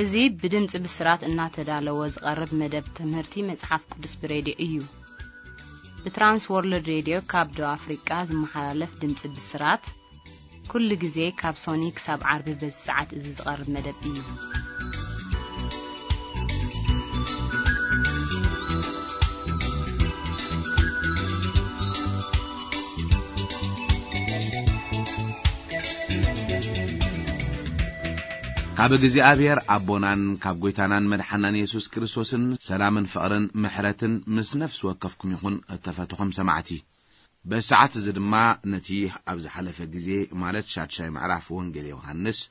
እዚ ብድምጺ ብስራት እናተዳለወ ዝቐርብ መደብ ትምህርቲ መጽሓፍ ቅዱስ ብሬድዮ እዩ። ብትራንስ ወርልድ ሬድዮ ካብ ደቡብ ኣፍሪቃ ዝመሓላለፍ ድምጺ ብስራት፣ ኩሉ ግዜ ካብ ሶኒ ክሳብ ዓርቢ በዚ ሰዓት እዚ ዝቐርብ መደብ እዩ። ካብ እግዚኣብሔር ኣቦናን ካብ ጐይታናን መድሓናን የሱስ ክርስቶስን ሰላምን ፍቕርን ምሕረትን ምስ ነፍሲ ወከፍኩም ይኹን፣ እተፈተኹም ሰማዕቲ። በዚ ሰዓት እዚ ድማ ነቲ ኣብ ዝሓለፈ ግዜ፣ ማለት ሻድሻይ ምዕራፍ ወንጌል ዮሃንስ፣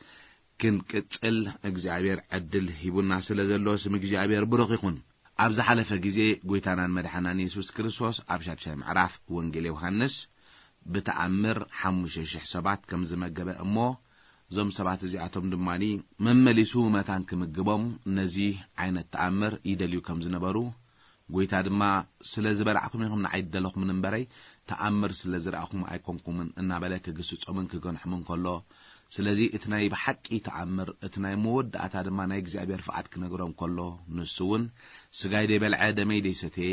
ክንቅጽል እግዚኣብሔር ዕድል ሂቡና ስለ ዘሎ፣ ስም እግዚኣብሔር ብሩኽ ይኹን። ኣብ ዝሓለፈ ግዜ ጐይታናን መድሓናን የሱስ ክርስቶስ ኣብ ሻድሻይ ምዕራፍ ወንጌል ዮሃንስ ብተኣምር ሓሙሽተ ሽሕ ሰባት ከም ዝመገበ እሞ፣ እዞም ሰባት እዚኣቶም ድማ መመሊሱ መታን ክምግቦም ነዚ ዓይነት ተኣምር ይደልዩ ከም ዝነበሩ፣ ጐይታ ድማ፣ "ስለ ዝበላዕኩም ኢኹም ንዓይ ዝደለኹምን እምበረይ፣ ተኣምር ስለ ዝረኣኹም ኣይኮንኩምን" እናበለ ክግስጾምን ክገንሖምን ከሎ፣ ስለዚ እቲ ናይ ብሓቂ ተኣምር፣ እቲ ናይ መወዳእታ ድማ ናይ እግዚኣብሔር ፍቓድ ክነግሮም ከሎ፣ ንሱ እውን፣ "ስጋይ ደይበልዐ ደመይ ደይሰተየ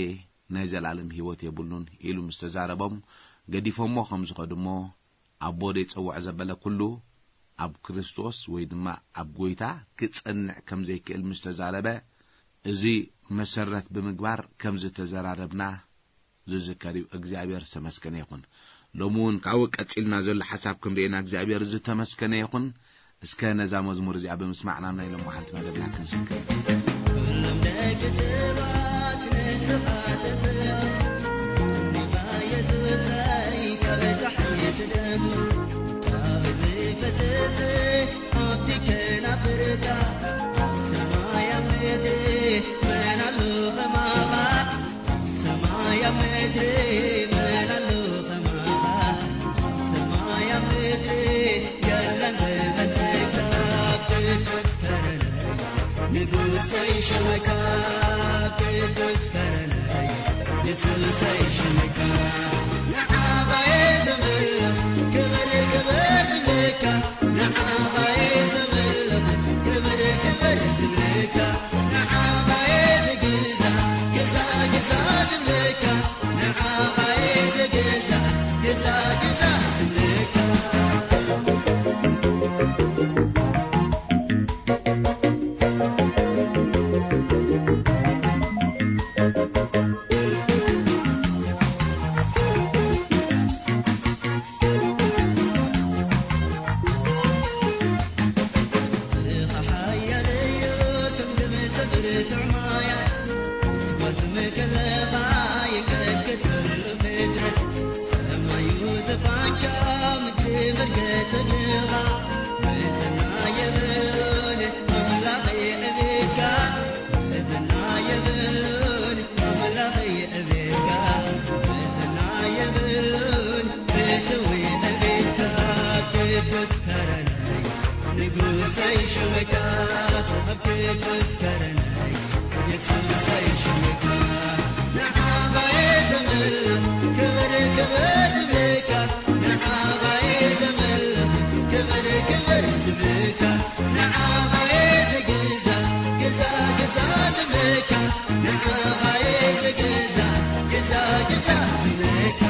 ናይ ዘላለም ህይወት የብሉን" ኢሉ ምስ ተዛረቦም፣ ገዲፎሞ ከም ዝኸዱ እሞ፣ ኣቦ ደይጸውዖ ዘበለ ኩሉ ኣብ ክርስቶስ ወይ ድማ ኣብ ጐይታ ክጸንዕ ከም ዘይክእል ምስ ተዛረበ፣ እዚ መሰረት ብምግባር ከም ዝተዘራረብና ዝዝከር እዩ። እግዚኣብሔር ዝተመስገነ ይኹን። ሎሚ እውን ካብኡ ቀጺልና ዘሎ ሓሳብ ክንርእየና እግዚኣብሔር ዝተመስገነ ይኹን። እስከ ነዛ መዝሙር እዚኣ ብምስማዕና ናይ ሎሚ ሓንቲ መደብና ክንስከም። ኩሎም ደቂ ሰባት ንተፋተተ፣ ንኻ የሱሰይ ካብ ጸሓይ ትደም፣ ካብ ዝፈሰሰ ኣብቲ ከናፍርካ፣ ኣብ ሰማይ ኣብ ምድሪ መን ኣሎ ከማኻ? ሰማይ ኣብ ምድሪ መን ኣሎ ከማኻ? ሰማይ ኣብ ምድሪ የለን ዝመስለካ። ቅዱስ ከረነይ ንጉሰይ ሽመካ። ቅዱስ ከረነይ የሱሰይ ሽመካ። ንዓኻ እየ ዘምልኽ ክብሪ ክብሪ ዝብለካ። ንዓኻ እየ ዘምልኽ ክብሪ ክብሪ ዝብለካ። ንዓኻ እየ ዝግዛእ ግዛእ ግዛእ ዝብለካ። ንዓኻ እየ ዝግዛእ ግዛእ ግዛእ ዝብለካ።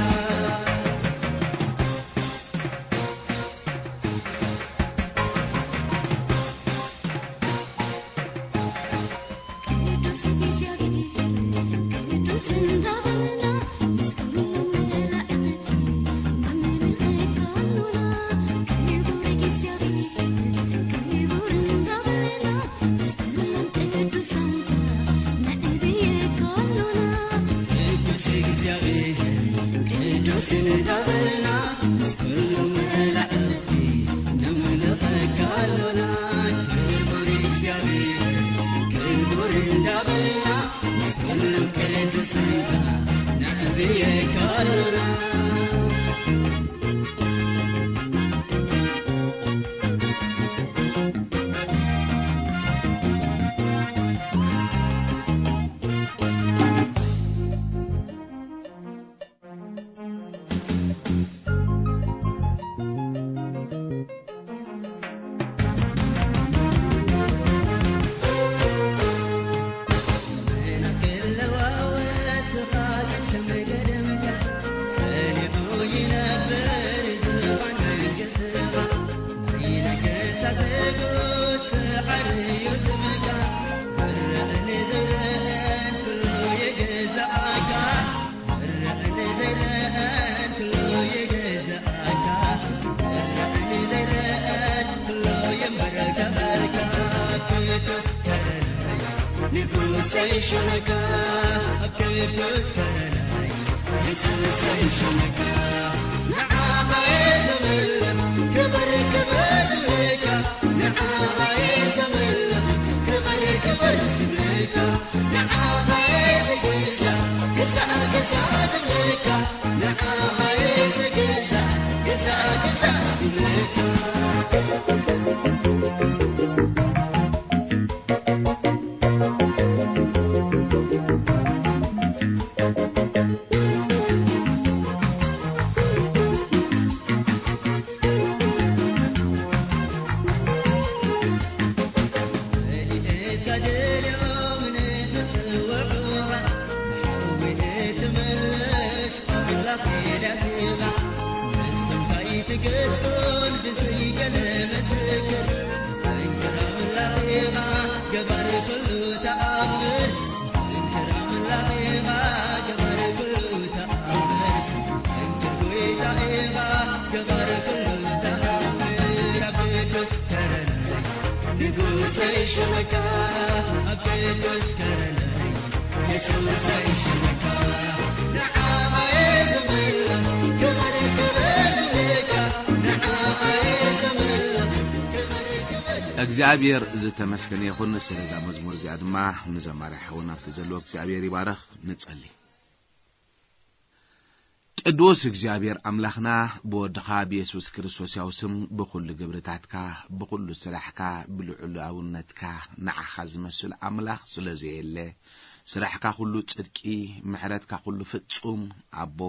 ይሸመካ ኣብ ቅዱስ ከረናይ የሱሰይ ይሸመካ ንዓኻ እየ ዘምልኽ ክብር ክብር ዝብለካ ንዓኻ እየ ዘምልኽ ክብር ክብር ዝብለካ ንዓኻ እየ ዝግዛእ ክሳዕ ክሳዕ ዝብለካ ንዓኻ እየ ዝግዛእ ክሳዕ ክሳዕ ዝብለካ እግዚኣብሔር ዝተመስገነ ይኹን። ስለዛ መዝሙር እዚኣ ድማ ንዘማሪ ሓውና ኣብቲ ዘለዎ እግዚኣብሔር ይባረኽ። ንጸሊ። ቅዱስ እግዚኣብሔር ኣምላኽና፣ ብወድኻ ብየሱስ ክርስቶስ ያው ስም ብኹሉ ግብርታትካ፣ ብኹሉ ስራሕካ፣ ብልዑላውነትካ፣ ንዓኻ ዝመስል ኣምላኽ ስለ ዘየለ፣ ስራሕካ ኩሉ ጽድቂ፣ ምሕረትካ ኩሉ ፍጹም፣ ኣቦ፣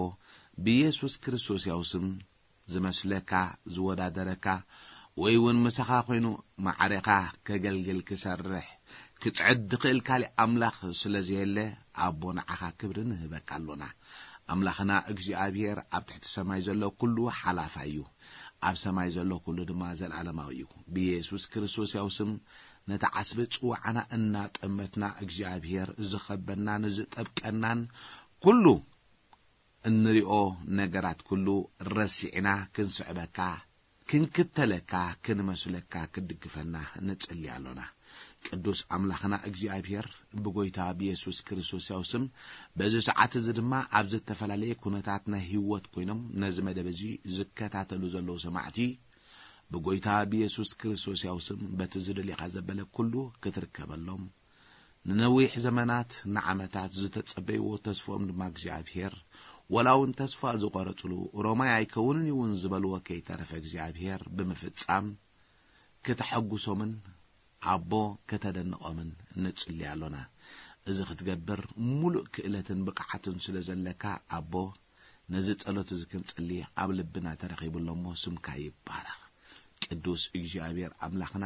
ብየሱስ ክርስቶስ ያው ስም ዝመስለካ፣ ዝወዳደረካ፣ ወይ እውን ምሳኻ ኮይኑ ማዕሬኻ ከገልግል፣ ክሰርሕ፣ ክጽዕድ ዝኽእል ካሊእ ኣምላኽ ስለ ዘየለ፣ ኣቦ ንዓኻ ክብሪ ንህበካ ኣሎና። ኣምላኽና እግዚኣብሔር ኣብ ትሕቲ ሰማይ ዘሎ ኩሉ ሓላፋይ እዩ። ኣብ ሰማይ ዘሎ ኩሉ ድማ ዘለኣለማዊ እዩ። ብየሱስ ክርስቶስ ያው ስም ነቲ ዓስቢ ጽዋዕና እናጠመትና እግዚኣብሔር ዝኸበናን ዝጠብቀናን ኩሉ እንሪኦ ነገራት ኩሉ ረሲዕና ክንስዕበካ፣ ክንክተለካ፣ ክንመስለካ፣ ክትድግፈና ንጽሊ ኣሎና። ቅዱስ ኣምላኽና እግዚኣብሔር ብጎይታ ብየሱስ ክርስቶስ ያው ስም በዚ ሰዓት እዚ ድማ ኣብ ዝተፈላለየ ኩነታት ናይ ህይወት ኮይኖም ነዚ መደብ እዚ ዝከታተሉ ዘለዉ ሰማዕቲ ብጎይታ ብየሱስ ክርስቶስ ያው ስም በቲ ዝደልየኻ ዘበለ ኩሉ ክትርከበሎም ንነዊሕ ዘመናት ንዓመታት ዝተጸበይዎ ተስፍኦም ድማ እግዚኣብሔር፣ ወላ እውን ተስፋ ዝቖረጽሉ፣ ሮማይ ኣይከውንን እዩ እውን ዝበልዎ ከይተረፈ እግዚኣብሔር ብምፍጻም፣ ከተሐጉሶምን ኣቦ ከተደንቖምን ንጽሊ ኣሎና። እዚ ክትገብር ሙሉእ ክእለትን ብቕዓትን ስለ ዘለካ ኣቦ፣ ነዚ ጸሎት እዚ ክንጽሊ ኣብ ልብና ተረኺቡ ኣሎ እሞ ስምካ ይባረኽ። ቅዱስ እግዚኣብሔር ኣምላኽና፣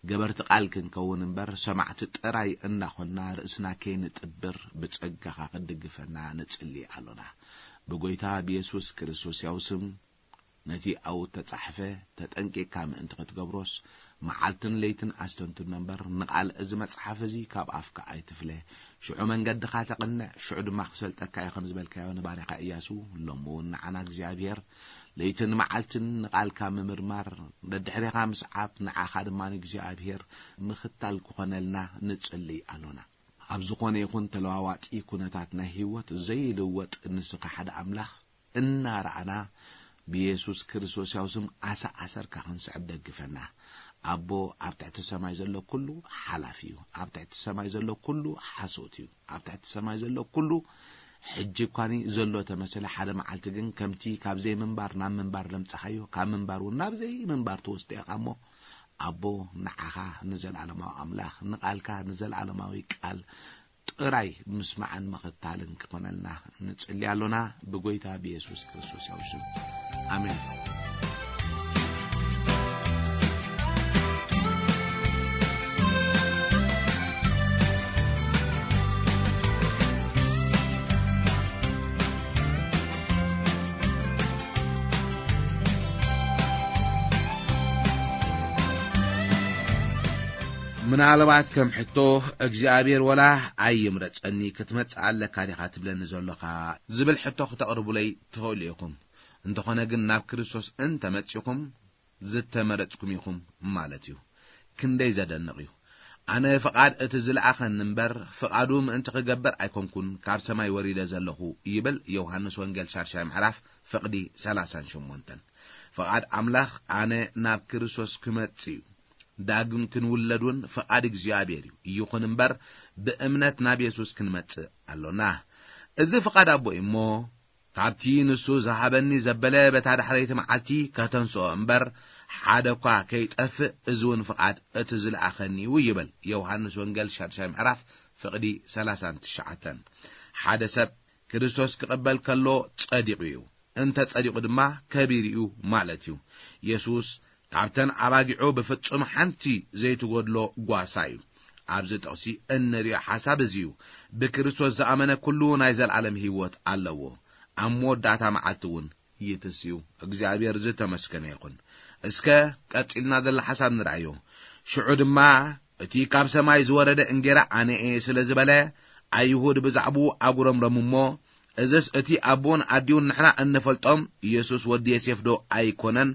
ገበርቲ ቃል ክንከውን እምበር ሰማዕቲ ጥራይ እናኾንና ርእስና ከይንጥብር ብጸጋኻ ክትድግፈና ንጽሊ ኣሎና። ብጎይታ ብየሱስ ክርስቶስ ያው ስም ነቲ ኣብኡ እተጻሕፈ ተጠንቂቕካ ምእንቲ ክትገብሮስ መዓልትን ለይትን ኣስተንትኖ እምበር ንቓል እዚ መጽሓፍ እዚ ካብ ኣፍካ ኣይትፍለ። ሽዑ መንገድኻ ተቕንዕ፣ ሽዑ ድማ ክሰልጠካ እዩ ከም ዝበልካዮ ንባርያኻ እያሱ፣ ሎሚ እውን ንዓና እግዚኣብሔር ለይትን መዓልትን ንቓልካ ምምርማር፣ ደድሕሬኻ ምስዓብ፣ ንዓኻ ድማ ንእግዚኣብሔር ምኽታል ክኾነልና ንጽልይ ኣሎና። ኣብ ዝኾነ ይኹን ተለዋዋጢ ኩነታት ናይ ህይወት ዘይልወጥ ንስኻ ሓደ ኣምላኽ እናረኣና ብየሱስ ክርስቶስ ያው ስም ኣሰኣሰርካ ክንስዕብ ደግፈና። ኣቦ ኣብ ትሕቲ ሰማይ ዘሎ ኩሉ ሓላፊ እዩ። ኣብ ትሕቲ ሰማይ ዘሎ ኩሉ ሓሶት እዩ። ኣብ ትሕቲ ሰማይ ዘሎ ኩሉ ሕጂ እኳኒ ዘሎ ተመሰለ፣ ሓደ መዓልቲ ግን ከምቲ ካብ ዘይምንባር ናብ ምንባር ዘምጻኻዮ፣ ካብ ምንባር እውን ናብ ዘይምንባር ትወስዶ ኢኻ እሞ፣ ኣቦ ንዓኻ ንዘለኣለማዊ ኣምላኽ፣ ንቓልካ ንዘለኣለማዊ ቃል ጥራይ ምስማዕን ምኽታልን ክኾነልና ንጽሊ ኣሎና፣ ብጎይታ ብየሱስ ክርስቶስ ያው ስም። ኣሜን። ምናልባት ከም ሕቶ እግዚኣብሔር ወላ ኣይምረጸኒ ክትመጽእ ኣለካ ዲኻ ትብለኒ ዘሎኻ ዝብል ሕቶ ክተቕርቡለይ ትኽእሉ ኢኹም። እንተኾነ ግን ናብ ክርስቶስ እንተመጺኹም ዝተመረጽኩም ኢኹም ማለት እዩ። ክንደይ ዘደንቕ እዩ። ኣነ ፍቓድ እቲ ዝለኣኸኒ እምበር፣ ፍቓዱ ምእንቲ ክገብር ኣይኮንኩን ካብ ሰማይ ወሪደ ዘለኹ፣ ይብል ዮሃንስ ወንጌል ሻድሻይ ምዕራፍ ፍቕዲ ሰላሳን ሸሞንተን። ፍቓድ ኣምላኽ ኣነ ናብ ክርስቶስ ክመጽእ እዩ። ዳግም ክንውለድ እውን ፍቓድ እግዚኣብሔር እዩ። ይኹን እምበር፣ ብእምነት ናብ የሱስ ክንመጽእ ኣሎና። እዚ ፍቓድ ኣቦ እዩ እሞ፣ ካብቲ ንሱ ዝሃበኒ ዘበለ በታ ዳሕረይቲ መዓልቲ ከተንስኦ እምበር፣ ሓደ እኳ ከይጠፍእ፣ እዚ እውን ፍቓድ እቲ ዝለኣኸኒ እዩ፣ ይብል ዮሃንስ ወንጌል ሻድሻይ ምዕራፍ ፍቕዲ ሰላሳን ትሽዓተን። ሓደ ሰብ ክርስቶስ ክቕበል ከሎ ጸዲቑ እዩ። እንተ ጸዲቑ ድማ ከቢሩ እዩ ማለት እዩ። የሱስ ካብተን ኣባጊዑ ብፍጹም ሓንቲ ዘይትጎድሎ ጓሳ እዩ። ኣብዚ ጥቕሲ እንርእዮ ሓሳብ እዚ እዩ። ብክርስቶስ ዝኣመነ ኩሉ ናይ ዘለኣለም ህይወት ኣለዎ። ኣብ መወዳእታ መዓልቲ እውን ይትስ እዩ። እግዚኣብሔር ዝተመስገነ ይኹን። እስከ ቀጺልና ዘሎ ሓሳብ ንርኣዮ። ሽዑ ድማ እቲ ካብ ሰማይ ዝወረደ እንጌራ ኣነ እየ ስለ ዝበለ፣ ኣይሁድ ብዛዕባኡ ኣጉረምረሙ እሞ፣ እዝስ እቲ ኣቦኡን ኣዲኡን ንሕና እንፈልጦም የሱስ ወዲ ዮሴፍ ዶ ኣይኮነን?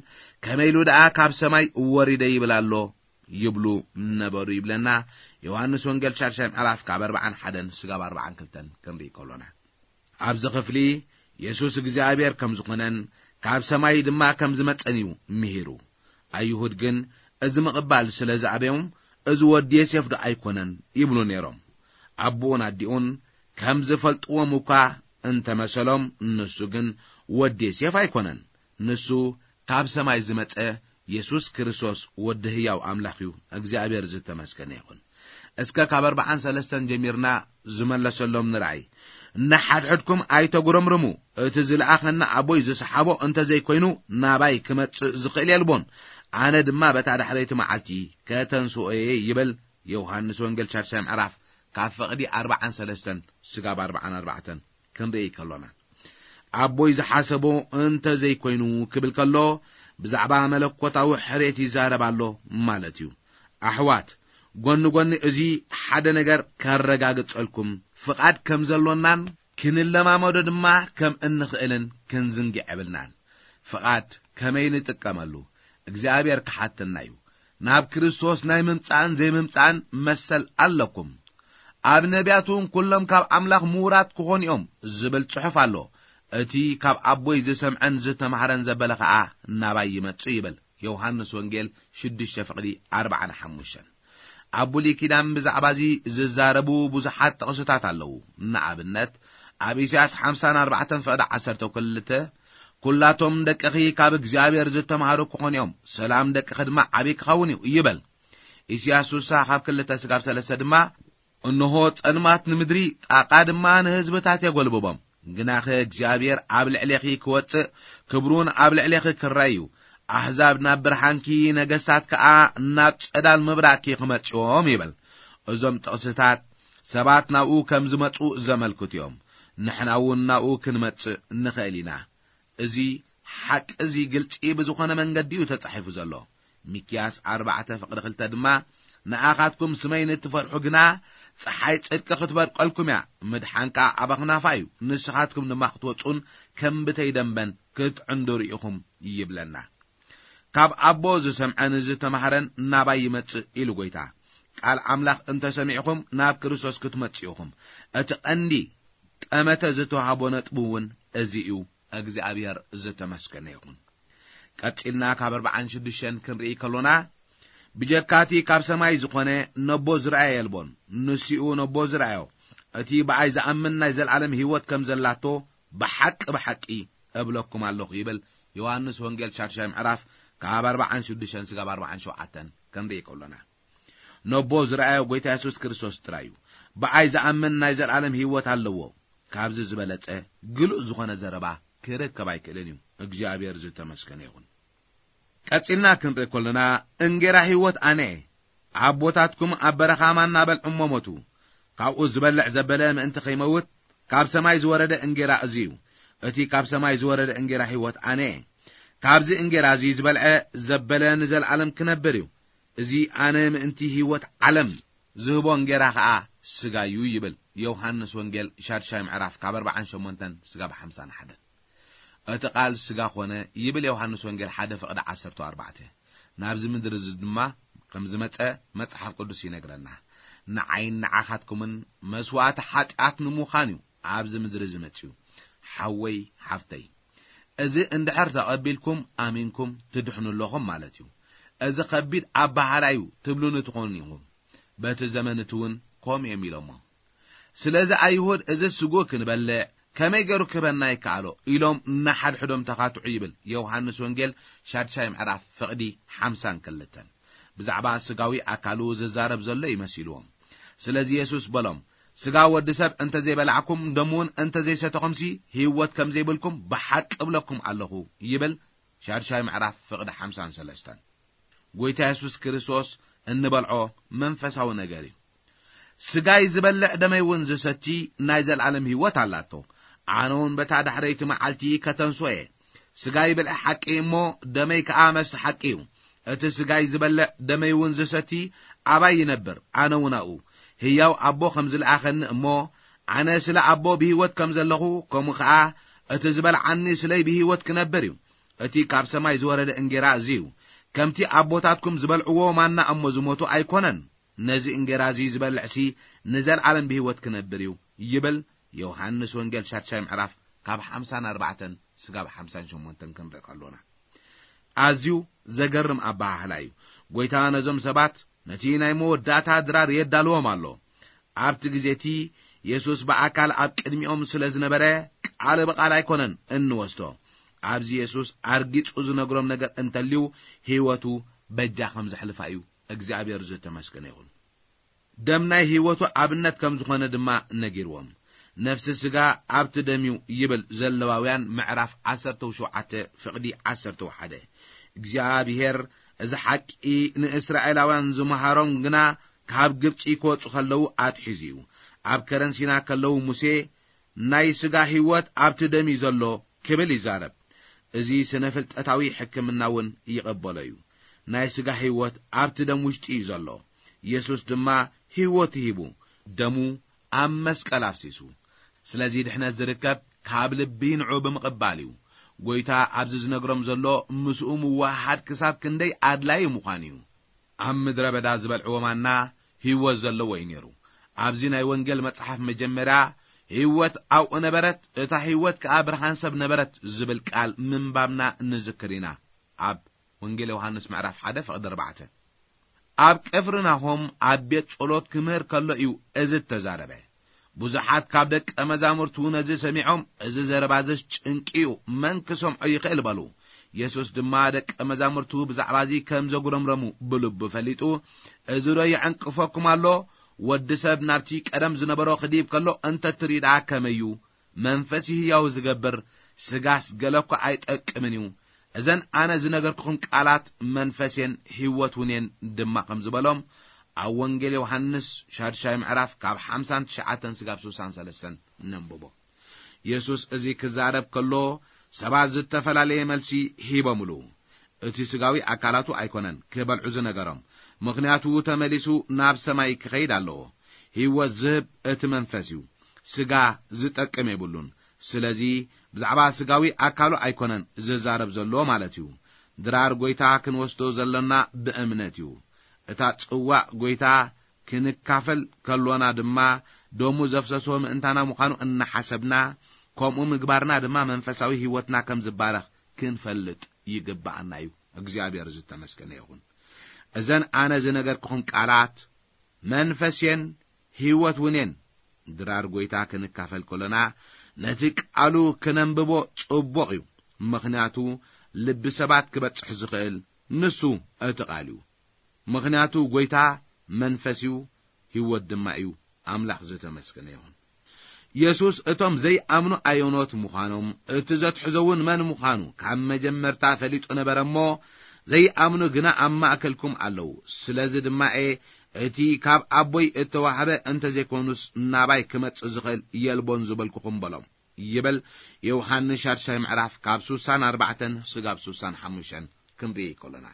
ከመይ ኢሉ ደኣ ካብ ሰማይ ወሪደ ይብል ኣሎ? ይብሉ ነበሩ ይብለና። ዮሃንስ ወንጌል ሻድሻይ ምዕራፍ ካብ ኣርባዓን ሓደን ስጋብ ኣርባዓን ክልተን ክንርኢ ከሎና፣ ኣብዚ ክፍሊ የሱስ እግዚኣብሔር ከም ዝኾነን ካብ ሰማይ ድማ ከም ዝመጸን እዩ ምሂሩ። ኣይሁድ ግን እዚ ምቕባል ስለ ዝኣበዮም፣ "እዚ ወዲ ዮሴፍ ዶ ኣይኮነን?" ይብሉ ነይሮም። ኣቦኡን ኣዲኡን ከም ዝፈልጥዎም እኳ እንተመሰሎም፣ ንሱ ግን ወዲ ዮሴፍ ኣይኮነን። ንሱ ካብ ሰማይ ዝመጸ የሱስ ክርስቶስ ወዲ ህያው ኣምላኽ እዩ። እግዚኣብሔር ዝተመስገነ ይኹን። እስከ ካብ ኣርባዓን ሰለስተን ጀሚርና ዝመለሰሎም ንርኣይ። "ንሓድሕድኩም ኣይተጉረምርሙ፣ እቲ ዝለኣኸና ኣቦይ ዝሰሓቦ እንተ ዘይኮይኑ ናባይ ክመጽእ ዝኽእል የልቦን፣ ኣነ ድማ በታ ዳሕረይቲ መዓልቲ ከተንስኦ እየ" ይብል ዮሃንስ ወንጌል ሻድሻይ ምዕራፍ ካብ ፍቕዲ ኣርባዓን ሰለስተን ስጋብ ኣርባዓን ኣርባዕተን ክንርኢ ከሎና፣ ኣቦይ ዝሓሰቦ እንተ ዘይኮይኑ ክብል ከሎ፣ ብዛዕባ መለኮታዊ ሕርየት ይዛረብ ኣሎ ማለት እዩ። ኣሕዋት፣ ጎኒ ጎኒ እዚ ሓደ ነገር ከረጋግጸልኩም፣ ፍቓድ ከም ዘሎናን ክንለማመዶ ድማ ከም እንኽእልን ክንዝንግዕ የብልናን። ፍቓድ ከመይ ንጥቀመሉ እግዚኣብሔር ክሓተና እዩ። ናብ ክርስቶስ ናይ ምምጻእን ዘይምምጻእን መሰል ኣለኩም። ኣብ ነቢያት እውን ኩሎም ካብ ኣምላኽ ምዉራት ክኾኑ እዮም ዝብል ጽሑፍ ኣሎ። እቲ ካብ ኣቦይ ዝሰምዐን ዝተማህረን ዘበለ ኸኣ ናባይ ይመጽእ ይብል። ዮሃንስ ወንጌል ሽዱሽተ ፍቕዲ ኣርባዓን ሓሙሽተን። ኣብ ብሉይ ኪዳን ብዛዕባ እዚ ዝዛረቡ ብዙሓት ጥቕስታት ኣለዉ። ንኣብነት፣ ኣብ ኢሳያስ ሓምሳን ኣርባዕተን ፍቕዲ ዓሰርተ ክልተ፣ "ኩላቶም ደቅኺ ካብ እግዚኣብሔር ዝተማህሩ ክኾኑ እዮም፣ ሰላም ደቅኺ ድማ ዓብዪ ክኸውን እዩ" ይበል። ኢሳያስ ስሳ ካብ ክልተ ስጋብ ሰለስተ ድማ፣ "እንሆ ጸልማት ንምድሪ፣ ጣቓ ድማ ንህዝብታት የጎልብቦም። ግናኸ እግዚኣብሔር ኣብ ልዕሌኺ ክወጽእ፣ ክብሩን ኣብ ልዕሌኺ ክረአ እዩ። ኣህዛብ ናብ ብርሃንኪ፣ ነገስታት ከኣ ናብ ጸዳል ምብራቕኪ ክመጽኦም" ይብል። እዞም ጥቕስታት ሰባት ናብኡ ከም ዝመጹ ዘመልክቱ እዮም። ንሕና እውን ናብኡ ክንመጽእ ንኽእል ኢና። እዚ ሓቂ እዚ ግልጺ ብዝኾነ መንገዲ እዩ ተጻሒፉ ዘሎ። ሚክያስ ኣርባዕተ ፍቕዲ ክልተ ድማ፣ "ንኣኻትኩም ስመይ ንትፈርሑ ግና፣ ጸሓይ ጽድቂ ክትበርቀልኩም እያ፣ ምድሓን ከኣ ኣብ ኣኽናፋ እዩ፣ ንስኻትኩም ድማ ክትወጹን ከም ብተይ ደንበን ክትዕንድሩ ኢኹም" ይብለና። "ካብ ኣቦ ዝሰምዐን ዝተማህረን ናባይ ይመጽእ" ኢሉ ጐይታ። ቃል ኣምላኽ እንተ ሰሚዕኹም፣ ናብ ክርስቶስ ክትመጽኡ ኢኹም። እቲ ቀንዲ ጠመተ ዝተዋህቦ ነጥቢ እውን እዚ እዩ። እግዚኣብሔር ዝተመስገነ ይኹን። ቀጺልና ካብ ኣርባዓን ሽዱሽተን ክንርኢ ከሎና፣ "ብጀካቲ ካብ ሰማይ ዝኾነ ነቦ ዝረኣየ የልቦን፣ ንሲኡ ነቦ ዝረኣዮ፣ እቲ ብኣይ ዝኣምን ናይ ዘለኣለም ህይወት ከም ዘላቶ ብሓቂ ብሓቂ እብለኩም ኣለኹ" ይብል ዮሃንስ ወንጌል ሻድሻይ ምዕራፍ ካብ ኣርባዓን ሽዱሽተን ስጋብ ኣርባዓን ሸውዓተን ክንርኢ ከሎና፣ ነቦ ዝረኣዮ ጐይታ የሱስ ክርስቶስ ጥራይ እዩ። "ብኣይ ዝኣምን ናይ ዘለኣለም ህይወት ኣለዎ፣ ካብዚ ዝበለጸ ግሉጽ ዝኾነ ዘረባ ክርከብ ኣይክእልን እዩ።" እግዚኣብሔር ዝተመስገነ ይኹን። ቀጺልና ክንርኢ ከሎና፣ "እንጌራ ህይወት ኣነ እየ። ኣቦታትኩም ኣብ በረኻ ማና በልዑ እሞ ሞቱ። ካብኡ ዝበልዕ ዘበለ ምእንቲ ከይመውት፣ ካብ ሰማይ ዝወረደ እንጌራ እዚ እዩ። እቲ ካብ ሰማይ ዝወረደ እንጌራ ህይወት ኣነ እየ። ካብዚ እንጌራ እዚ ዝበልዐ ዘበለ ንዘለኣለም ክነብር እዩ። እዚ ኣነ ምእንቲ ህይወት ዓለም ዝህቦ እንጌራ ኸኣ ስጋ እዩ" ይብል ዮሃንስ ወንጌል ሻድሻይ ምዕራፍ ካብ ኣርባዓን ሸሞንተን ስጋብ ሓምሳን ሓደን። "እቲ ቃል ስጋ ኾነ" ይብል ዮሃንስ ወንጌል ሓደ ፍቕዲ ዓሰርተ ኣርባዕተ። ናብዚ ምድሪ እዚ ድማ ከም ዝመጸ መጽሓፍ ቅዱስ ይነግረና። ንዓይን ንዓኻትኩምን መስዋእቲ ሓጢኣት ንምዃን እዩ ኣብዚ ምድሪ ዝመጽኡ። ሓወይ፣ ሓፍተይ፣ እዚ እንድሕር ተቐቢልኩም ኣሚንኩም ትድሕኑ ኣለኹም ማለት እዩ። እዚ ከቢድ ኣበሃህላ እዩ ትብሉኒ ትኾኑ ኢኹም። በቲ ዘመን እቲ እውን ከምኡ እዮም ኢሎሞ። ስለዚ ኣይሁድ፣ እዚ ስጉእ ክንበልዕ ከመይ ገይሩ ክህበና ይከኣሎ ኢሎም ንሓድሕዶም ተኻትዑ ይብል ዮሃንስ ወንጌል ሻድሻይ ምዕራፍ ፍቕዲ ሓምሳን ክልተን። ብዛዕባ ስጋዊ ኣካሉ ዝዛረብ ዘሎ ይመሲልዎም። ስለዚ የሱስ በሎም፣ ስጋ ወዲ ሰብ እንተ ዘይበላዕኩም ደሙ እውን እንተ ዘይሰተኹምሲ ህይወት ከም ዘይብልኩም ብሓቂ እብለኩም ኣለኹ ይብል ሻድሻይ ምዕራፍ ፍቕዲ ሓምሳን ሰለስተን። ጎይታ የሱስ ክርስቶስ እንበልዖ መንፈሳዊ ነገር እዩ። ስጋይ ዝበልዕ ደመይ እውን ዝሰቲ ናይ ዘለኣለም ህይወት ኣላቶ። ኣነ እውን በታ ዳሕረይቲ መዓልቲ ከተንስኦ እየ። ስጋይ ብልዒ ሓቂ እሞ ደመይ ከኣ መስተ ሓቂ እዩ። እቲ ስጋይ ዝበልዕ ደመይ እውን ዝሰቲ ኣባይ ይነብር፣ ኣነ እውን ኣብኡ። ህያው ኣቦ ከም ዝለኣኸኒ እሞ ኣነ ስለ ኣቦ ብህይወት ከም ዘለኹ፣ ከምኡ ከኣ እቲ ዝበልዓኒ ስለይ ብህይወት ክነብር እዩ። እቲ ካብ ሰማይ ዝወረደ እንጌራ እዚ እዩ። ከምቲ ኣቦታትኩም ዝበልዕዎ ማና እሞ ዝሞቱ ኣይኮነን። ነዚ እንጌራ እዚ ዝበልዕሲ ንዘለኣለም ብህይወት ክነብር እዩ ይብል ዮሃንስ ወንጌል ሻድሻይ ምዕራፍ ካብ ሓምሳን ኣርባዕተን ስጋብ ሓምሳን ሸሞንተን ክንርኢ ከሎና። ኣዝዩ ዘገርም ኣበሃህላ እዩ። ጎይታ ነዞም ሰባት ነቲ ናይ መወዳእታ ድራር የዳልዎም ኣሎ። ኣብቲ ግዜ እቲ የሱስ ብኣካል ኣብ ቅድሚኦም ስለ ዝነበረ ቃል ብቓል ኣይኮነን እንወስዶ። ኣብዚ የሱስ ኣርጊጹ ዝነግሮም ነገር እንተልዩ ህይወቱ በጃ ከም ዘሕልፋ እዩ። እግዚኣብሔር ዝተመስገነ ይኹን። ደም ናይ ህይወቱ ኣብነት ከም ዝኾነ ድማ ነጊርዎም። ነፍሲ ስጋ ኣብቲ ደም እዩ ይብል ዘለዋውያን ምዕራፍ ዓሰርተ ሸውዓተ ፍቕዲ ዓሰርተ ሓደ። እግዚኣብሔር እዚ ሓቂ ንእስራኤላውያን ዝመሃሮም ግና ካብ ግብጺ ክወጹ ከለዉ ኣትሒዙ እዩ። ኣብ ከረን ሲና ከለዉ ሙሴ ናይ ስጋ ህይወት ኣብቲ ደም እዩ ዘሎ ክብል ይዛረብ። እዚ ስነ ፍልጠታዊ ሕክምና እውን ይቐበሎ እዩ። ናይ ስጋ ህይወት ኣብቲ ደም ውሽጢ እዩ ዘሎ። የሱስ ድማ ህይወቱ ሂቡ ደሙ ኣብ መስቀል ኣፍሲሱ። ስለዚ ድሕነት ዝርከብ ካብ ልቢ ንዑ ብምቕባል እዩ። ጎይታ ኣብዚ ዝነግሮም ዘሎ ምስኡ ምውሃሃድ ክሳብ ክንደይ ኣድላዪ ምዃኑ እዩ። ኣብ ምድረ በዳ ዝበልዕዎ ማና ህይወት ዘለዎ እዩ ነይሩ። ኣብዚ ናይ ወንጌል መጽሓፍ መጀመርያ ህይወት ኣብኡ ነበረት፣ እታ ህይወት ከኣ ብርሃን ሰብ ነበረት ዝብል ቃል ምንባብና ንዝክር ኢና። ኣብ ወንጌል ዮሃንስ ምዕራፍ ሓደ ፍቕዲ ኣርባዕተ። ኣብ ቅፍርናሆም ኣብ ቤት ጸሎት ክምህር ከሎ እዩ እዚ እተዛረበ። ብዙሓት ካብ ደቀ መዛሙርቱ ነዚ ሰሚዖም፣ እዚ ዘረባዝስ ጭንቂ እዩ፣ መን ክሰምዖ ይኽእል በሉ። የሱስ ድማ ደቀ መዛሙርቱ ብዛዕባ እዚ ከም ዘጉረምረሙ ብልቡ ፈሊጡ፣ እዚ ዶ የዕንቅፈኩም ኣሎ? ወዲ ሰብ ናብቲ ቀደም ዝነበሮ ክድይብ ከሎ እንተ ትርኢ ደኣ ከመይ እዩ? መንፈስ እዩ ህያው ዝገብር፣ ስጋስ ገለ እኳ ኣይጠቅምን እዩ። እዘን ኣነ ዝነገርኩኹም ቃላት መንፈስ እየን ህይወት እውን እየን ድማ ከም ዝበሎም ኣብ ወንጌል ዮሃንስ ሻድሻይ ምዕራፍ ካብ ሓምሳን ትሽዓተን ስጋብ ስሳን ሰለስተን ነንብቦ። የሱስ እዚ ክዛረብ ከሎ ሰባት ዝተፈላለየ መልሲ ሂቦምሉ። እቲ ስጋዊ ኣካላቱ ኣይኮነን ክበልዑ ዝነገሮም፣ ምኽንያቱ ተመሊሱ ናብ ሰማይ ክኸይድ ኣለዎ። ህይወት ዝህብ እቲ መንፈስ እዩ። ስጋ ዝጠቅም የብሉን። ስለዚ ብዛዕባ ስጋዊ ኣካሉ ኣይኮነን ዝዛረብ ዘሎ ማለት እዩ። ድራር ጎይታ ክንወስዶ ዘሎና ብእምነት እዩ። እታ ጽዋእ ጎይታ ክንካፈል ከሎና ድማ ደሙ ዘፍሰሶ ምእንታና ምዃኑ እናሓሰብና፣ ከምኡ ምግባርና ድማ መንፈሳዊ ህይወትና ከም ዝባረኽ ክንፈልጥ ይግብኣና እዩ። እግዚኣብሔር ዝተመስገነ ይኹን። እዘን ኣነ ዝነገርኩኹም ቃላት መንፈስ እየን ህይወት እውን እየን። ድራር ጎይታ ክንካፈል ከሎና ነቲ ቃሉ ክነንብቦ ጽቡቕ እዩ። ምኽንያቱ ልቢ ሰባት ክበጽሕ ዝኽእል ንሱ እቲ ቃል እዩ። ምኽንያቱ ጎይታ መንፈስ እዩ፣ ህይወት ድማ እዩ። ኣምላኽ ዝተመስገነ ይኹን። የሱስ እቶም ዘይኣምኑ ኣየኖት ምዃኖም፣ እቲ ዘትሕዞ እውን መን ምዃኑ ካብ መጀመርታ ፈሊጡ ነበረ እሞ፣ ዘይኣምኑ ግና ኣብ ማእከልኩም ኣለዉ። ስለዚ ድማ እየ እቲ ካብ ኣቦይ እተዋህበ እንተ ዘይኮኑስ ናባይ ክመጽእ ዝኽእል የልቦን ዝበልኩኹም በሎም። ይብል ዮሃንስ ሻድሻይ ምዕራፍ ካብ ስሳን ኣርባዕተን ስጋብ ስሳን ሓሙሽተን ክንርኢ ከሎና፣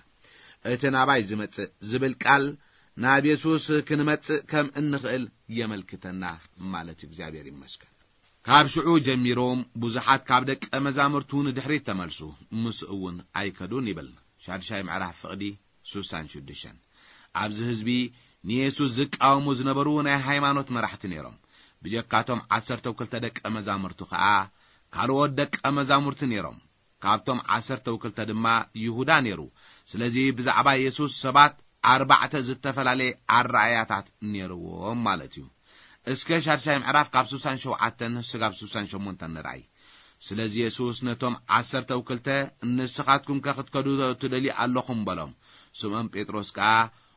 እቲ ናባይ ዝመጽእ ዝብል ቃል ናብ የሱስ ክንመጽእ ከም እንኽእል የመልክተና ማለት እዩ። እግዚኣብሔር ይመስገን። ካብ ሽዑ ጀሚሮም ብዙሓት ካብ ደቀ መዛሙርቱ ንድሕሪት ተመልሱ፣ ምስኡ እውን ኣይከዱን ይብል ሻድሻይ ምዕራፍ ፍቕዲ ስሳን ሽዱሽተን። ኣብዚ ህዝቢ ንየሱስ ዝቃወሙ ዝነበሩ ናይ ሃይማኖት መራሕቲ ነይሮም። ብጀካቶም ዓሰርተው ክልተ ደቀ መዛሙርቱ ከኣ ካልኦት ደቀ መዛሙርቲ ነይሮም። ካብቶም ዓሰርተው ክልተ ድማ ይሁዳ ነይሩ። ስለዚ ብዛዕባ የሱስ ሰባት ኣርባዕተ ዝተፈላለየ ኣረኣእያታት ነይርዎም ማለት እዩ። እስከ ሻድሻይ ምዕራፍ ካብ ስሳን ሸውዓተን ስጋብ ስሳን ሸሞንተን ንርኣይ። ስለዚ የሱስ ነቶም ዓሰርተው ክልተ፣ "ንስኻትኩም ከ ክትከዱ ትደልዩ ኣለኹም?" በሎም። ስምዖን ጴጥሮስ ከኣ፣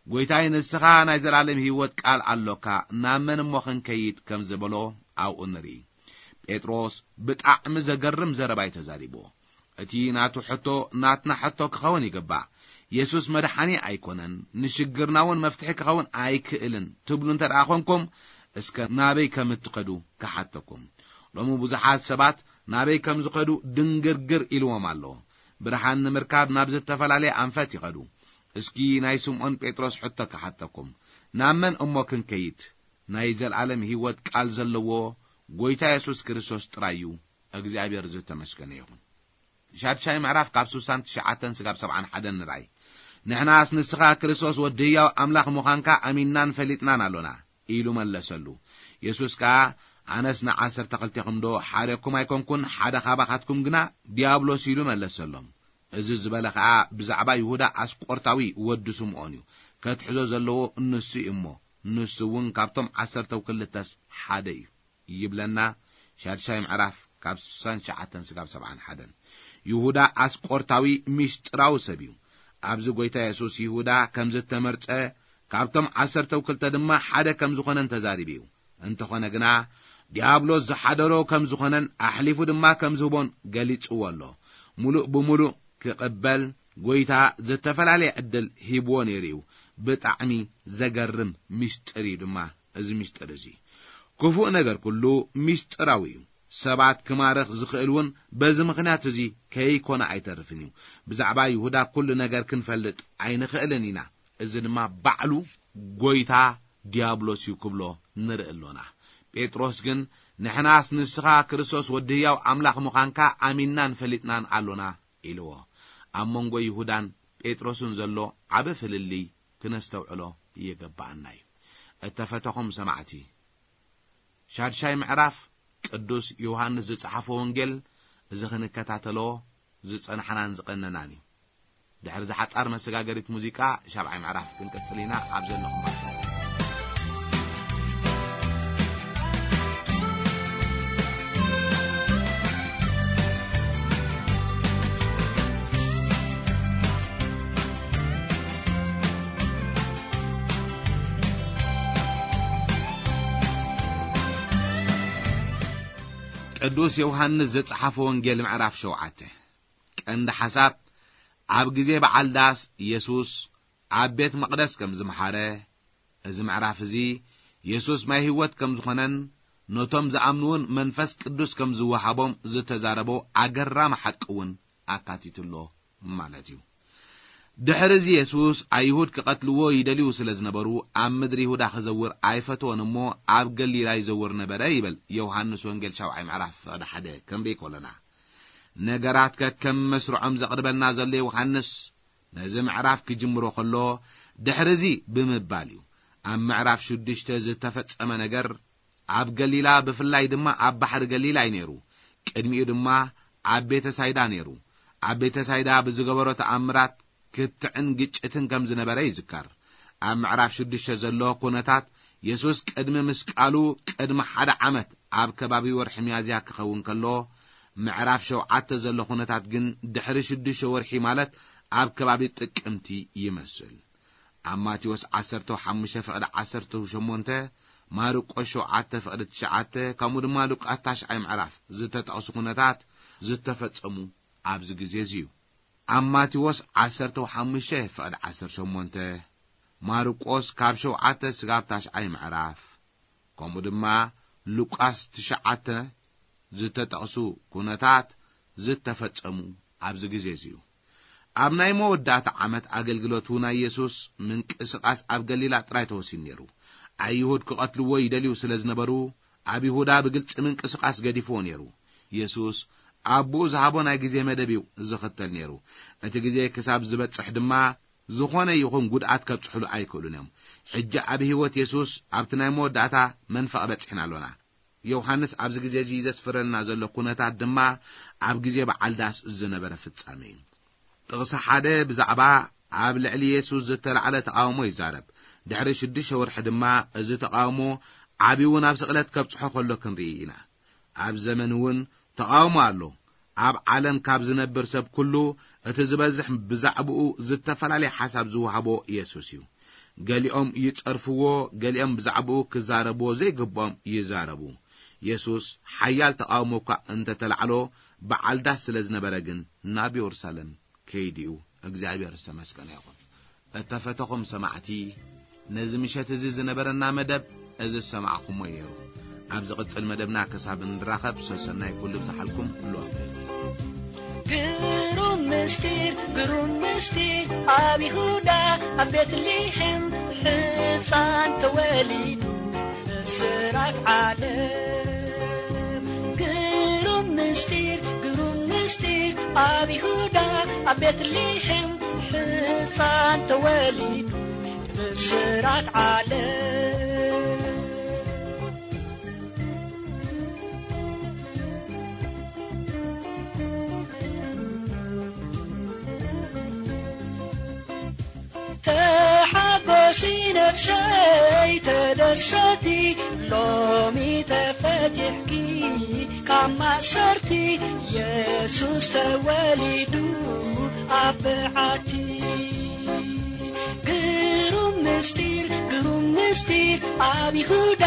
"ጐይታይ፣ ንስኻ ናይ ዘለኣለም ህይወት ቃል ኣሎካ፣ ናብ መን እሞ ክንከይድ?" ከም ዝበሎ ኣብኡ ንርኢ። ጴጥሮስ ብጣዕሚ ዘገርም ዘረባ እዩ ተዛሪብዎ። እቲ ናቱ ሕቶ ናትና ሕቶ ክኸውን ይግባእ። የሱስ መድሓኒ ኣይኮነን፣ ንሽግርና እውን መፍትሒ ክኸውን ኣይክእልን ትብሉ እንተ ደኣ ኾንኩም፣ እስከ ናበይ ከም እትኸዱ ክሓተኩም። ሎሚ ብዙሓት ሰባት ናበይ ከም ዝኸዱ ድንግርግር ኢልዎም ኣሎ። ብርሃን ንምርካብ ናብ ዝተፈላለየ ኣንፈት ይኸዱ። እስኪ ናይ ስምዖን ጴጥሮስ ሕቶ ክሓተኩም፣ ናብ መን እሞ ክንከይድ? ናይ ዘለኣለም ህይወት ቃል ዘለዎ ጐይታ የሱስ ክርስቶስ ጥራይ እዩ። እግዚኣብሔር ዝተመስገነ ይኹን። ሻድሻይ ምዕራፍ ካብ ስሳን ትሽዓተን ስጋብ ሰብዓን ሓደን ንርኣይ። "ንሕናስ ንስኻ ክርስቶስ ወዲ ህያው ኣምላኽ ምዃንካ ኣሚንናን ፈሊጥናን ኣሎና" ኢሉ መለሰሉ። የሱስ ከኣ፣ "ኣነስ ንዓሰርተ ክልቴኹም ዶ ሓደኩም ኣይኮንኩን? ሓደ ካባኻትኩም ግና ዲያብሎስ" ኢሉ መለሰሎም። እዚ ዝበለ ኸኣ ብዛዕባ ይሁዳ ኣስቆርታዊ ወዲ ስምዖን እዩ። ከትሕዞ ዘለዎ ንሱ እዩ እሞ፣ ንሱ እውን ካብቶም ዓሰርተው ክልተስ ሓደ እዩ ይብለና። ሻድሻይ ምዕራፍ ካብ ስሳን ትሽዓተን ስጋብ ሰብዓን ሓደን። ይሁዳ ኣስቆርታዊ ምስጢራዊ ሰብ እዩ። ኣብዚ ጐይታ የሱስ ይሁዳ ከም ዝተመርጸ፣ ካብቶም ዓሰርተው ክልተ ድማ ሓደ ከም ዝኾነን ተዛሪቡ እዩ። እንተኾነ ግና፣ ዲያብሎስ ዝሓደሮ ከም ዝኾነን ኣሕሊፉ ድማ ከም ዝህቦን ገሊጽዎ ኣሎ። ምሉእ ብምሉእ ክቕበል ጐይታ ዝተፈላለየ ዕድል ሂብዎ ነይሩ እዩ። ብጣዕሚ ዘገርም ምስጢር እዩ ድማ እዚ ምስጢር እዚ። ክፉእ ነገር ኩሉ ምስጢራዊ እዩ። ሰባት ክማርኽ ዝኽእል እውን በዚ ምኽንያት እዚ ከይኮነ ኣይተርፍን እዩ። ብዛዕባ ይሁዳ ኩሉ ነገር ክንፈልጥ ኣይንኽእልን ኢና። እዚ ድማ ባዕሉ ጐይታ ዲያብሎስ እዩ ክብሎ ንርኢ ኣሎና። ጴጥሮስ ግን፣ "ንሕናስ ንስኻ ክርስቶስ ወዲ ህያው ኣምላኽ ምዃንካ ኣሚንናን ፈሊጥናን ኣሎና" ኢልዎ። ኣብ መንጎ ይሁዳን ጴጥሮስን ዘሎ ዓቢ ፍልልይ ክነስተውዕሎ ይግብኣና እዩ። እተፈተኹም ሰማዕቲ፣ ሻድሻይ ምዕራፍ ቅዱስ ዮሃንስ ዝጸሓፎ ወንጌል እዚ ክንከታተሎ ዝጸናሕናን ዝቐነናን እዩ። ድሕሪ ዝሓጻር መሰጋገሪት ሙዚቃ ሻብዓይ ምዕራፍ ክንቅጽል ኢና። ኣብ ዘለኹም ቅዱስ ዮሃንስ ዘጸሓፈ ወንጌል ምዕራፍ ሸውዓተ። ቀንዲ ሓሳብ፣ ኣብ ግዜ በዓል ዳስ የሱስ ኣብ ቤት መቕደስ ከም ዝመሓረ፣ እዚ ምዕራፍ እዚ የሱስ ማይ ህይወት ከም ዝኾነን ነቶም ዝኣምንውን መንፈስ ቅዱስ ከም ዝወሃቦም ዝተዛረቦ ኣገራሚ ሓቂ እውን ኣካቲቱ ኣሎ ማለት እዩ። ድሕሪ እዚ የሱስ ኣይሁድ ክቐትልዎ ይደልዩ ስለ ዝነበሩ ኣብ ምድሪ ይሁዳ ክዘውር ኣይፈተወን እሞ ኣብ ገሊላ ይዘውር ነበረ ይብል ዮሃንስ ወንጌል ሻብዓይ ምዕራፍ ፍቕዲ ሓደ ክንርኢ ከሎና። ነገራት ከከም መስርዖም ዘቕርበልና ዘሎ ዮሃንስ ነዚ ምዕራፍ ክጅምሮ ከሎ ድሕሪ እዚ ብምባል እዩ። ኣብ ምዕራፍ ሽዱሽተ ዝተፈጸመ ነገር ኣብ ገሊላ ብፍላይ ድማ ኣብ ባሕሪ ገሊላ እዩ ነይሩ። ቅድሚኡ ድማ ኣብ ቤተ ሳይዳ ነይሩ። ኣብ ቤተ ሳይዳ ብዝገበሮ ተኣምራት ክትዕን ግጭትን ከም ዝነበረ ይዝከር። ኣብ ምዕራፍ ሽዱሽተ ዘሎ ኩነታት የሱስ ቅድሚ ምስቃሉ ቅድሚ ሓደ ዓመት ኣብ ከባቢ ወርሒ ሚያዝያ ክኸውን ከሎ፣ ምዕራፍ ሸውዓተ ዘሎ ኩነታት ግን ድሕሪ ሽዱሽተ ወርሒ ማለት ኣብ ከባቢ ጥቅምቲ ይመስል። ኣብ ማቴዎስ ዓሰርተ ሓሙሽተ ፍቕዲ ዓሰርተ ሸሞንተ፣ ማርቆስ ሸውዓተ ፍቕዲ ትሽዓተ፣ ከምኡ ድማ ሉቃስ ታሽዓይ ምዕራፍ ዝተጠቕሱ ኩነታት ዝተፈጸሙ ኣብዚ ግዜ እዚ እዩ። ኣብ ማቴዎስ ዓሰርተ ሓሙሽተ ፍቕዲ ዓሰርተ ሸሞንተ፣ ማርቆስ ካብ ሸውዓተ ስጋብ ታሽዓይ ምዕራፍ፣ ከምኡ ድማ ሉቃስ ትሽዓተ ዝተጠቕሱ ኩነታት ዝተፈጸሙ ኣብዚ ግዜ እዚ እዩ። ኣብ ናይ መወዳእታ ዓመት ኣገልግሎቱ ናይ የሱስ ምንቅስቓስ ኣብ ገሊላ ጥራይ ተወሲኑ ነይሩ። ኣይሁድ ክቐትልዎ ይደልዩ ስለ ዝነበሩ፣ ኣብ ይሁዳ ብግልጺ ምንቅስቓስ ገዲፍዎ ነይሩ። የሱስ ኣቦኡ ዝሃቦ ናይ ግዜ መደብ እዩ ዝኽተል ነይሩ። እቲ ግዜ ክሳብ ዝበጽሕ ድማ ዝኾነ ይኹን ጉድኣት ከብጽሕሉ ኣይክእሉን እዮም። ሕጂ ኣብ ህይወት የሱስ ኣብቲ ናይ መወዳእታ መንፈቕ በጺሕና ኣሎና። ዮሃንስ ኣብዚ ግዜ እዚ ዘስፍረልና ዘሎ ኩነታት ድማ ኣብ ግዜ በዓል ዳስ ዝነበረ ፍጻሜ እዩ። ጥቕሲ ሓደ ብዛዕባ ኣብ ልዕሊ የሱስ ዝተላዕለ ተቓውሞ ይዛረብ። ድሕሪ ሽዱሽተ ወርሒ ድማ እዚ ተቓውሞ ዓብዩ ናብ ስቕለት ከብጽሖ ከሎ ክንርኢ ኢና። ኣብ ዘመን እውን ተቓውሞ ኣሎ። ኣብ ዓለም ካብ ዝነብር ሰብ ኩሉ እቲ ዝበዝሕ ብዛዕባኡ ዝተፈላለየ ሓሳብ ዝወሃቦ የሱስ እዩ። ገሊኦም ይጸርፍዎ፣ ገሊኦም ብዛዕባኡ ክዛረብዎ ዘይግብኦም ይዛረቡ። የሱስ ሓያል ተቓውሞ እኳ እንተተላዕሎ በዓል ዳስ ስለ ዝነበረ ግን ናብ የሩሳሌም ከይዱ እዩ። እግዚኣብሔር ዝተመስገነ ይኹን። እተፈተኹም ሰማዕቲ፣ ነዚ ምሸት እዚ ዝነበረና መደብ እዚ ዝሰማዕኹሞ እዩ ነይሩ። ኣብ ዝቕጽል መደብና ክሳብ እንራኸብ ሰሰናይ ኩሉ ብዝሓልኩም ሎም። ግሩም ምስጢር፣ ግሩም ምስጢር ኣብ ይሁዳ ኣብ ቤትልሔም ሕፃን ተወሊዱ ብስራት ዓለም። ግሩም ምስጢር፣ ግሩም ምስጢር ኣብ ይሁዳ ኣብ ቤትልሔም ሕፃን ተወሊዱ ብስራት ዓለም። ተሓጎሲ ነፍሰይ ተደሰቲ፣ ሎሚ ተፈቲሕኪ ካብ ማእሰርቲ፣ የሱስ ተወሊዱ ኣብ በዓቲ። ግሩም ምስጢር፣ ግሩም ምስጢር ኣብ ይሁዳ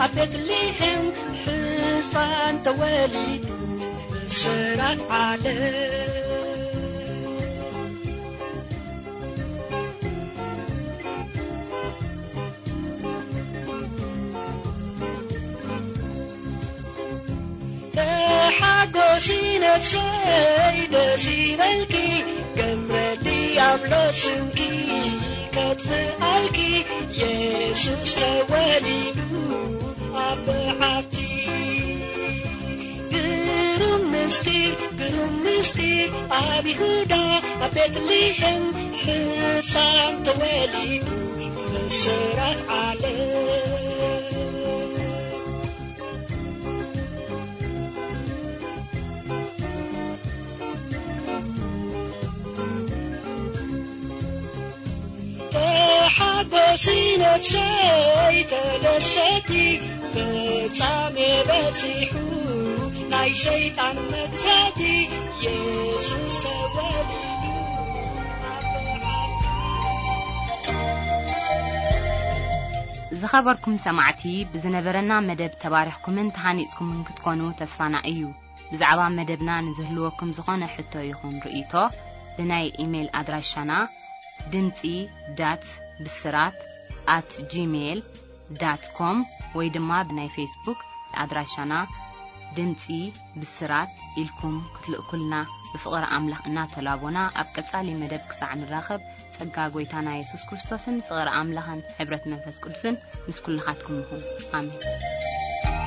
ኣብ ቤትልሔም ሕፃን ተወሊዱ ብስራት ዓለም። ተሓጎሲ ነፍሰይ ደስ ይበልኪ፣ ገብረ ዲያብሎስ ስምኪ ከጥፍኣልኪ፣ የሱስ ተወሊዱ ኣብ በዓቲ። ግሩም ምስጢር፣ ግሩም ምስጢር ኣብ ይሁዳ ኣብ ቤትልሔም ሕፃን ተወሊዱ ብስራት ዓለም። ተሓጎሲ ነፍሰይ ተደሰቲ፣ ፍጻሜ በጺሑ ናይ ሰይጣን መግዛእቲ፣ የሱስ ተወሊዱ ኣብ በዓቲ። ዝኸበርኩም ሰማዕቲ፣ ብዝነበረና መደብ ተባሪኽኩምን ተሃኒጽኩምን ክትኮኑ ተስፋና እዩ። ብዛዕባ መደብና ንዝህልወኩም ዝኾነ ሕቶ ይኹን ርእይቶ፣ ብናይ ኢሜይል ኣድራሻና ድምጺ ዳት ብስራት ኣት ጂሜይል ዳት ኮም ወይ ድማ ብናይ ፌስቡክ ኣድራሻና ድምጺ ብስራት ኢልኩም ክትልእኩልና ብፍቕሪ ኣምላኽ እናተላቦና፣ ኣብ ቀጻሊ መደብ ክሳዕ ንራኸብ፣ ጸጋ ጐይታና የሱስ ክርስቶስን ፍቕሪ ኣምላኽን ሕብረት መንፈስ ቅዱስን ምስ ኩልኻትኩም ይኹን። ኣሜን።